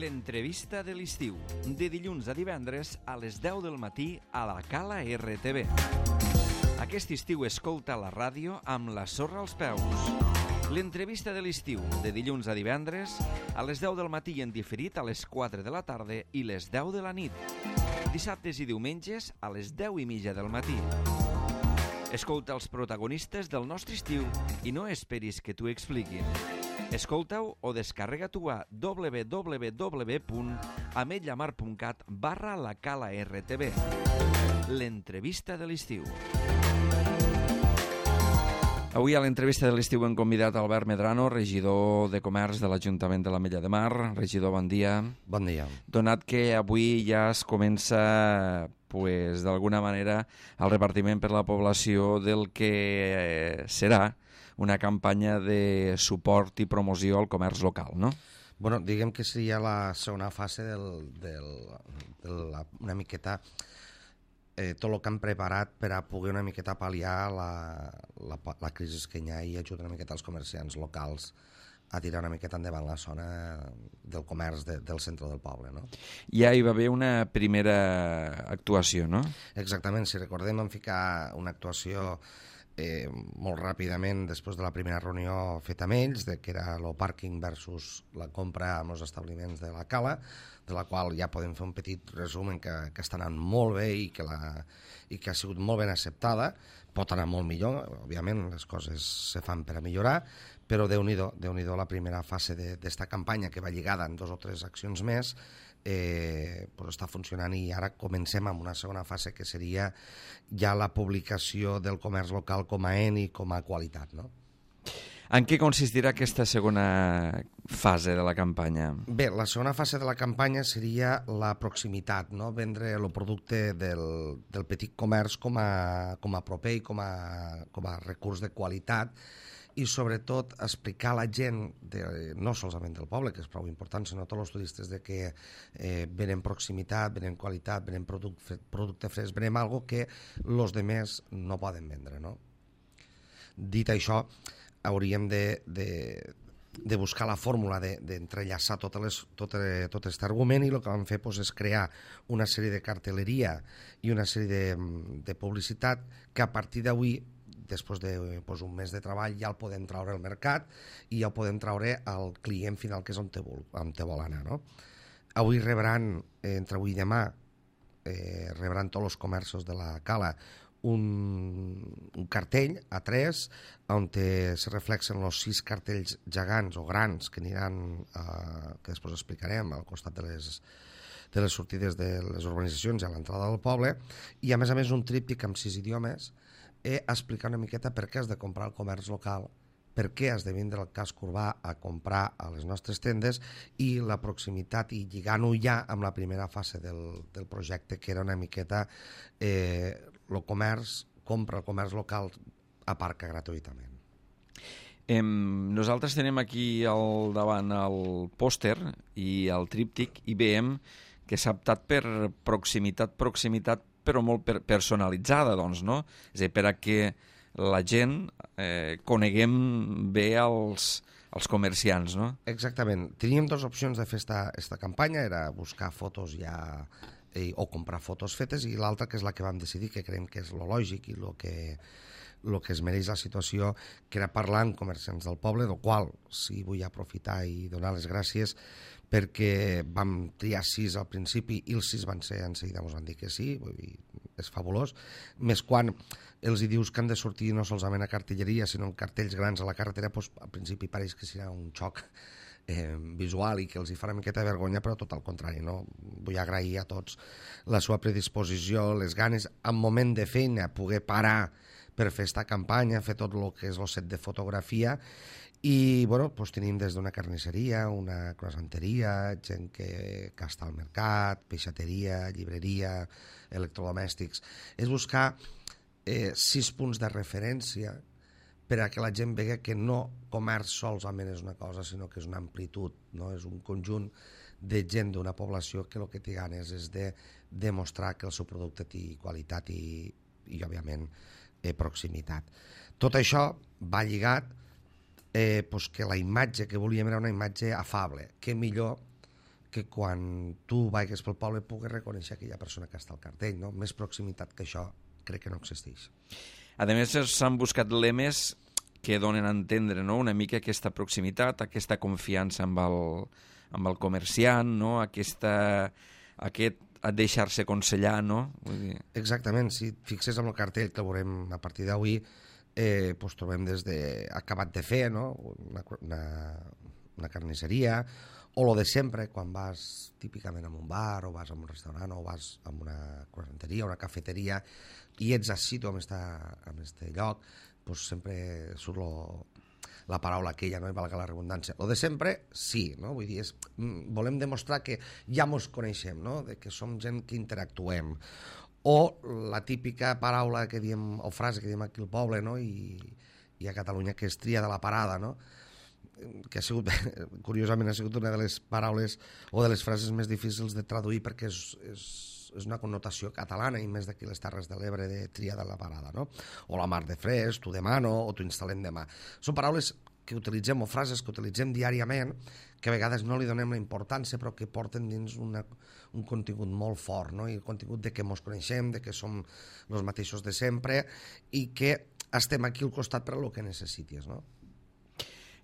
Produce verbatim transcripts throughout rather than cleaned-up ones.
L'entrevista de l'estiu, de dilluns a divendres a les deu del matí a la Cala R T V. Aquest estiu escolta la ràdio amb la sorra als peus. L'entrevista de l'estiu, de dilluns a divendres a les deu del matí i en diferit a les quatre de la tarda i les deu de la nit. Dissabtes i diumenges a les deu i mitja del matí. Escolta els protagonistes del nostre estiu i no esperis que t'ho expliquin. Escolta-ho o descarrega-t'ho a w w w punt ametlllamar punt cat barra la cala R T V. L'entrevista de l'estiu. Avui a l'entrevista de l'estiu hem convidat Albert Medrano, regidor de Comerç de l'Ajuntament de l'Ametlla de Mar. Regidor, bon dia. Bon dia. Donat que avui ja es comença, pues, d'alguna manera, el repartiment per la població del que serà una campanya de suport i promoció al comerç local, no? Bueno, diguem que seria la segona fase del, del, de la, una miqueta eh, tot el que han preparat per a poder una miqueta pal·liar la, la, la crisi que hi ha i ajudar una miqueta els comerciants locals a tirar una miqueta endavant la zona del comerç de, del centre del poble, no? Ja hi va haver una primera actuació, no? Exactament, si recordem vam ficar una actuació Eh, molt ràpidament després de la primera reunió feta amb ells, de que era el pàrquing versus la compra amb els establiments de la Cala, de la qual ja podem fer un petit resum que, que està anant molt bé i que, la, i que ha sigut molt ben acceptada. Pot anar molt millor, òbviament les coses se fan per a millorar, però Déu-n'hi-do, Déu-n'hi-do la primera fase d'esta campanya que va lligada en dos o tres accions més, eh, pues està funcionant i ara comencem amb una segona fase que seria ja la publicació del comerç local com a en i com a qualitat, no? En què consistirà aquesta segona fase de la campanya? Bé, la segona fase de la campanya seria la proximitat, no? Vendre el producte del, del petit comerç com a, com a proper i com a, com a recurs de qualitat i sobretot explicar a la gent, de, no solament del poble, que és prou important, sinó a tots els turistes de que eh, venen proximitat, venen qualitat, venen producte, producte fresc, venen algo que els demés no poden vendre, no? Dit això, hauríem de, de, de buscar la fórmula d'entrellaçar de, tot, tot, tot aquest argument i el que vam fer pues, és crear una sèrie de cartelleria i una sèrie de, de publicitat que a partir d'avui, després d'un pues, mes de treball, ja el podem traure al mercat i ja el podem traure al client final, que és on te vol, on te vol anar, no? Avui rebran, eh, entre avui i demà, eh, rebran tots els comerços de la Cala un, un cartell a tres on te, se reflexen els sis cartells gegants o grans que aniran, eh, que després explicarem, al costat de les, de les sortides de les urbanitzacions i a l'entrada del poble, i a més a més un tríptic amb sis idiomes eh, explicar una miqueta per què has de comprar el comerç local, per què has de vindre al casc urbà a comprar a les nostres tendes i la proximitat i lligant-ho ja amb la primera fase del, del projecte, que era una miqueta eh, el comerç, compra el comerç local, aparca gratuïtament. Eh, nosaltres tenim aquí al davant el pòster i el tríptic i veiem que s'ha optat per proximitat, proximitat, però molt per personalitzada, doncs, no? És a dir, per a que la gent eh, coneguem bé els, els comerciants, no? Exactament. Teníem dues opcions de fer aquesta campanya, era buscar fotos ja eh, o comprar fotos fetes, i l'altra, que és la que vam decidir, que creiem que és lo lògic i lo que, lo que es mereix la situació, que era parlar amb comerciants del poble, del qual sí vull aprofitar i donar les gràcies perquè vam triar sis al principi i els sis van ser, en seguida ens van dir que sí, vull dir, és fabulós, més quan els hi dius que han de sortir no solament a cartelleria, sinó en cartells grans a la carretera, doncs al principi pareix que serà un xoc eh, visual i que els hi farà una miqueta de vergonya, però tot al contrari, no? Vull agrair a tots la seva predisposició, les ganes, en moment de feina, poder parar per fer aquesta campanya, fer tot el que és el set de fotografia. I bueno, doncs tenim des d'una carnisseria, una croissanteria, gent que, que està al mercat, peixateria, llibreria, electrodomèstics. És buscar eh, sis punts de referència per a que la gent vegi que no comerç solament és una cosa, sinó que és una amplitud, no? És un conjunt de gent d'una població que el que té ganes és de demostrar que el seu producte té qualitat i, i òbviament, eh, proximitat. Tot això va lligat eh, pues que la imatge que volíem era una imatge afable. Què millor que quan tu vagis pel poble puguis reconèixer aquella persona que està al cartell, no? Més proximitat que això crec que no existeix. A més, s'han buscat lemes que donen a entendre, no?, una mica aquesta proximitat, aquesta confiança amb el, amb el comerciant, no?, aquesta, aquest deixar-se aconsellar, no? Vull dir... Exactament, si et fixes en el cartell que veurem a partir d'avui, eh, pues trobem des de acabat de fer, no?, una, una, una carnisseria, o lo de sempre, quan vas típicament a un bar, o vas a un restaurant, o vas a una croissanteria, una cafeteria, i ets així tu en aquest lloc, pues sempre surt lo, la paraula aquella, no?, i valga la redundància. Lo de sempre, sí, no? Vull dir, és, volem demostrar que ja mos coneixem, no?, de que som gent que interactuem. O la típica paraula que diem, o frase que diem aquí al poble, no?, i, i a Catalunya, que és tria de la parada, no?, que ha sigut, curiosament, ha sigut una de les paraules o de les frases més difícils de traduir perquè és, és, és una connotació catalana i més d'aquí les Terres de l'Ebre de tria de la parada, no? O la mar de fresc, t'ho demano, o t'ho instal·lem demà. Són paraules que utilitzem o frases que utilitzem diàriament que a vegades no li donem la importància però que porten dins una, un contingut molt fort, no? I el contingut de que mos coneixem, de que som els mateixos de sempre i que estem aquí al costat per a lo que necessitis, no?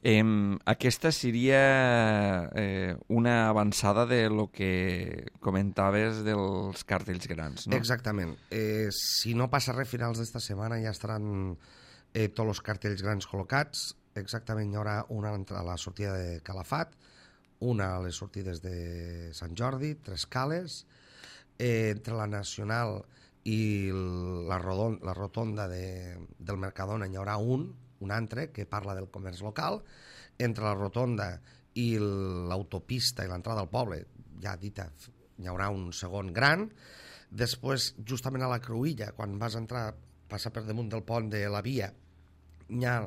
Eh, aquesta seria eh, una avançada de lo que comentaves dels cartells grans, no? Exactament. Eh, si no passa res, a finals d'esta setmana ja estaran eh, tots els cartells grans col·locats. Exactament hi haurà una a la sortida de Calafat, una a les sortides de Sant Jordi, tres cales, eh, entre la Nacional i la, rodon, la rotonda de, del Mercadona hi haurà un, un altre que parla del comerç local. Entre la rotonda i l'autopista i l'entrada al poble, ja dita, hi haurà un segon gran. Després, justament a la Cruïlla, quan vas entrar, passar per damunt del pont de la via, hi ha,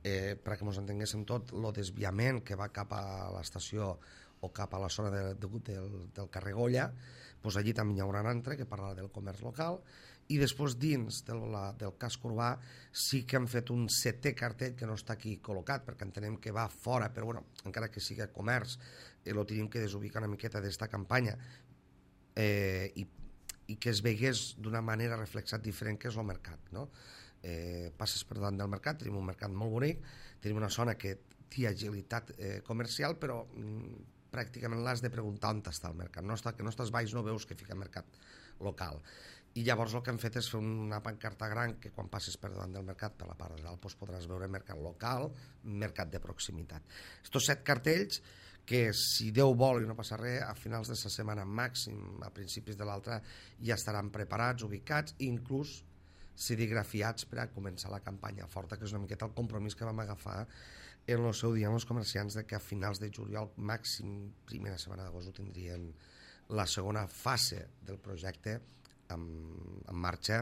eh, perquè ens entenguéssim tot, el desviament que va cap a l'estació o cap a la zona de, de, del, del carrer Goya, doncs allí també hi haurà un altre que parla del comerç local. I després dins del, la, del casc urbà sí que han fet un setè cartell que no està aquí col·locat perquè entenem que va fora, però bueno, encara que sigui comerç, eh, lo tenim que desubicar una miqueta d'esta campanya eh, i, i que es vegués d'una manera reflexat diferent que és el mercat, no? Eh, passes per davant del mercat, tenim un mercat molt bonic, tenim una zona que té agilitat eh, comercial, però mm, pràcticament l'has de preguntar on està el mercat, no està, que no estàs baix no veus que fica mercat local. I llavors el que han fet és fer una pancarta gran que quan passes per davant del mercat per la part de dalt doncs podràs veure mercat local, mercat de proximitat. Estos set cartells que si Déu vol i no passa res, a finals de la setmana màxim, a principis de l'altra, ja estaran preparats, ubicats, inclús serigrafiats per a començar la campanya forta, que és una miqueta el compromís que vam agafar en el seu dia amb els comerciants de que a finals de juliol, màxim primera setmana d'agost, ho tindrien la segona fase del projecte En, en marxa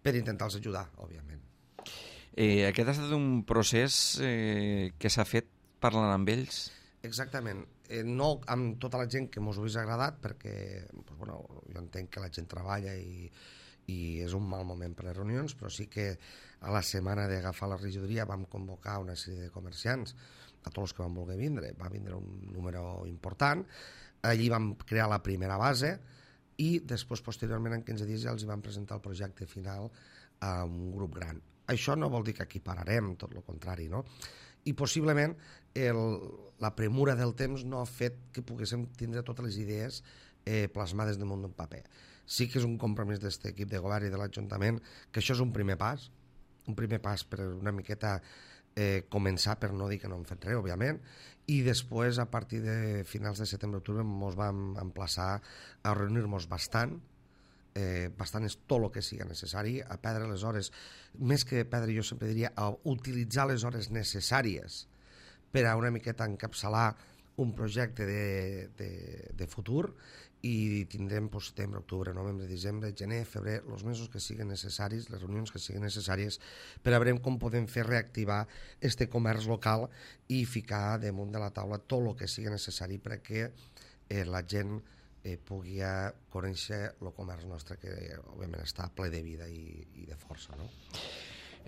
per intentar-los ajudar, òbviament. Eh, aquest ha estat un procés eh, que s'ha fet parlant amb ells? Exactament. Eh, no amb tota la gent que mos ho hagués agradat, perquè pues, bueno, jo entenc que la gent treballa i, i és un mal moment per les reunions, però sí que a la setmana d'agafar la regidoria vam convocar una sèrie de comerciants, a tots els que van voler vindre, va vindre un número important, allí vam crear la primera base, i després, posteriorment, en quinze dies ja els van presentar el projecte final a un grup gran. Això no vol dir que aquí pararem, tot el contrari, no? I possiblement el, la premura del temps no ha fet que poguéssim tindre totes les idees eh, plasmades damunt d'un paper. Sí que és un compromís d'aquest equip de govern i de l'Ajuntament que això és un primer pas, un primer pas per una miqueta eh, començar, per no dir que no hem fet res, òbviament, i després, a partir de finals de setembre-octubre, ens vam emplaçar a reunir-nos bastant, eh, bastant és tot el que sigui necessari, a perdre les hores, més que perdre, jo sempre diria, a utilitzar les hores necessàries per a una miqueta encapçalar un projecte de, de, de futur i tindrem pues, setembre, octubre, novembre, desembre, gener, febrer, els mesos que siguin necessaris, les reunions que siguin necessàries per a veure com podem fer reactivar este comerç local i ficar damunt de la taula tot el que sigui necessari perquè eh, la gent eh, pugui conèixer el comerç nostre que òbviament està ple de vida i, i de força, no?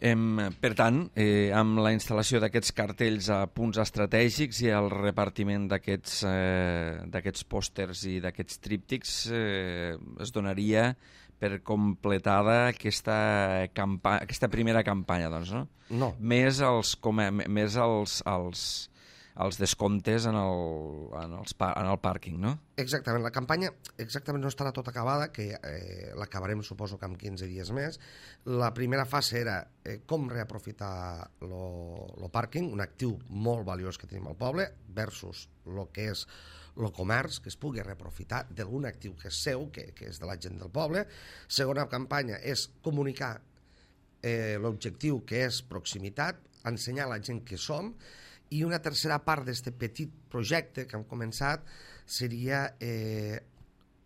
Em, per tant, eh, amb la instal·lació d'aquests cartells a punts estratègics i el repartiment d'aquests eh, d'aquests pòsters i d'aquests tríptics eh, es donaria per completada aquesta, campa aquesta primera campanya, doncs, no? No. Més els, com a, més els, els, els descomptes en el, en, els, en el pàrquing, no? Exactament, la campanya exactament no estarà tota acabada, que eh, l'acabarem suposo que en quinze dies més. La primera fase era eh, com reaprofitar el pàrquing, un actiu molt valiós que tenim al poble, versus el que és el comerç, que es pugui reaprofitar d'algun actiu que és seu, que, que és de la gent del poble. Segona campanya és comunicar eh, l'objectiu, que és proximitat, ensenyar a la gent que som, i una tercera part d'aquest petit projecte que hem començat seria eh,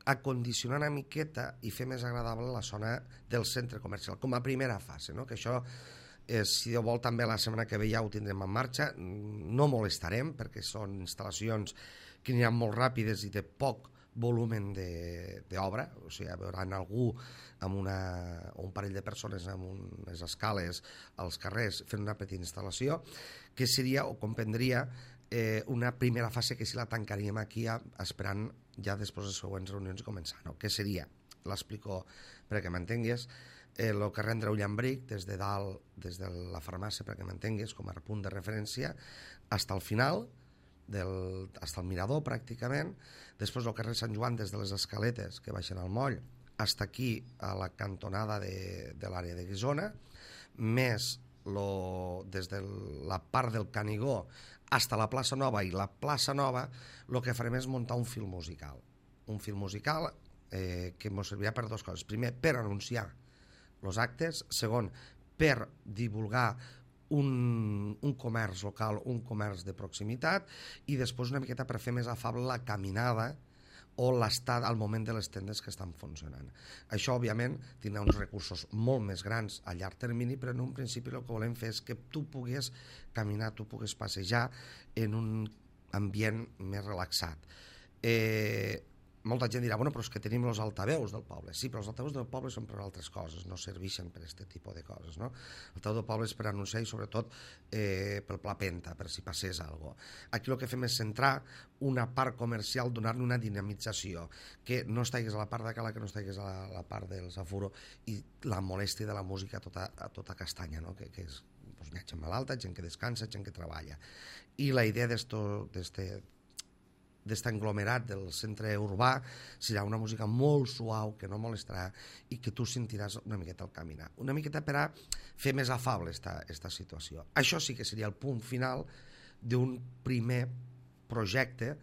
acondicionar una miqueta i fer més agradable la zona del centre comercial, com a primera fase, no? Que això, eh, si Déu vol, també la setmana que ve ja ho tindrem en marxa. No molestarem, perquè són instal·lacions que aniran molt ràpides i de poc volumen d'obra, o sigui, veuran algú amb una, un parell de persones amb unes escales als carrers fent una petita instal·lació, que seria o comprendria eh, una primera fase que si la tancaríem aquí ja, esperant ja després de les següents reunions i començar, no? Que seria, l'explico perquè m'entengues, eh, el carrer Andreu Llambric, des de dalt, des de la farmàcia, perquè m'entengues, com a punt de referència, fins al final, del, fins al mirador pràcticament, després el carrer Sant Joan des de les escaletes que baixen al moll fins aquí a la cantonada de, de l'àrea de Guissona, més lo, des de la part del Canigó fins a la plaça Nova, i la plaça Nova el que farem és muntar un fil musical un fil musical eh, que ens servirà per dues coses. Primer, per anunciar els actes. Segon, per divulgar Un, un comerç local, un comerç de proximitat, i després una miqueta per fer més afable la caminada o l'estat al moment de les tendes que estan funcionant. Això, òbviament, tindrà uns recursos molt més grans a llarg termini, però en un principi el que volem fer és que tu puguis caminar, tu puguis passejar en un ambient més relaxat. Eh, molta gent dirà, bueno, però és que tenim els altaveus del poble. Sí, però els altaveus del poble són per altres coses, no serveixen per aquest tipus de coses, no? L'altaveu del poble és per anunciar i sobretot eh, pel pla penta, per si passés alguna cosa. Aquí el que fem és centrar una part comercial, donar-li una dinamització, que no estigués a la part de cala, que no estigués a la, a la part dels afuro, i la molèstia de la música a tota, a tota castanya, no? Que, que és, doncs, hi ha gent malalta, gent que descansa, gent que treballa. I la idea d'esto, d'este d'aquest englomerat del centre urbà serà una música molt suau, que no molestarà i que tu sentiràs una miqueta al caminar, una miqueta per a fer més afable esta, esta situació. Això sí que seria el punt final d'un primer projecte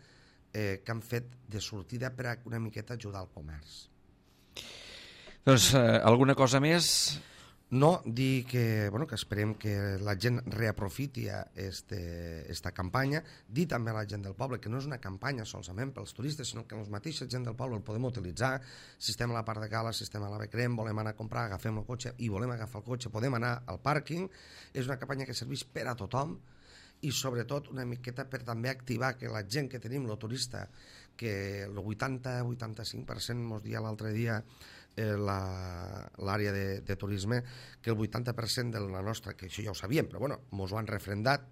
eh, que han fet de sortida per a una miqueta ajudar al comerç. Doncs eh, alguna cosa més? No, dir que, bueno, que esperem que la gent reaprofiti este, esta campanya, dir també a la gent del poble que no és una campanya solament pels turistes, sinó que els mateixos gent del poble el podem utilitzar. Si estem a la part de cala, si estem a la Becrem, volem anar a comprar, agafem el cotxe i volem agafar el cotxe, podem anar al pàrquing. És una campanya que serveix per a tothom i sobretot una miqueta per també activar que la gent que tenim, el turista, que el vuitanta a vuitanta-cinc per cent mos dia l'altre dia eh, l'àrea de, de turisme, que el vuitanta per cent de la nostra, que això ja ho sabíem, però bueno, mos ho han refrendat,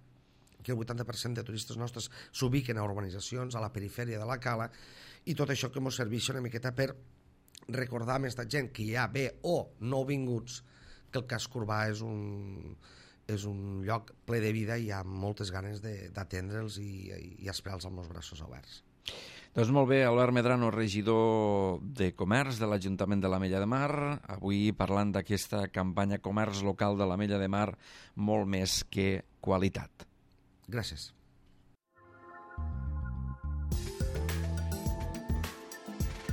que el vuitanta per cent de turistes nostres s'ubiquen a urbanitzacions, a la perifèria de la cala, i tot això que mos serveix una miqueta per recordar a aquesta gent que ja ve o no vinguts que el casc urbà és un, és un lloc ple de vida i hi ha moltes ganes d'atendre'ls i, i esperar-los amb els braços oberts. Doncs molt bé, Albert Medrano, regidor de Comerç de l'Ajuntament de l'Ametlla de Mar, avui parlant d'aquesta campanya Comerç Local de l'Ametlla de Mar, molt més que qualitat. Gràcies.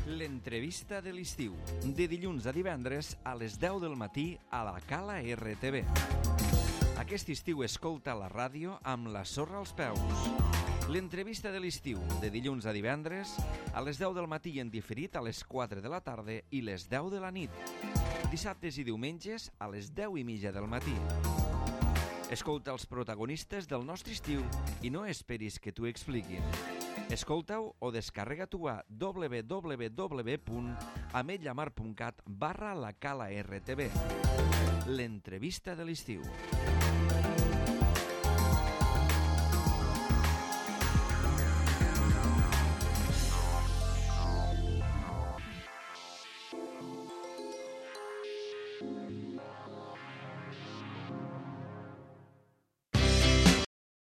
L'entrevista de l'estiu, de dilluns a divendres a les deu del matí a la Cala R T V. Aquest estiu escolta la ràdio amb la sorra als peus. L'entrevista de l'estiu, de dilluns a divendres, a les deu del matí en diferit a les quatre de la tarda i les deu de la nit. Dissabtes i diumenges a les deu i mitja del matí. Escolta els protagonistes del nostre estiu i no esperis que t'ho expliquin. Escolta-ho o descarrega-t'ho a w w w punt ametlla mar punt cat barra la cala R T V. l'entrevista de l'estiu.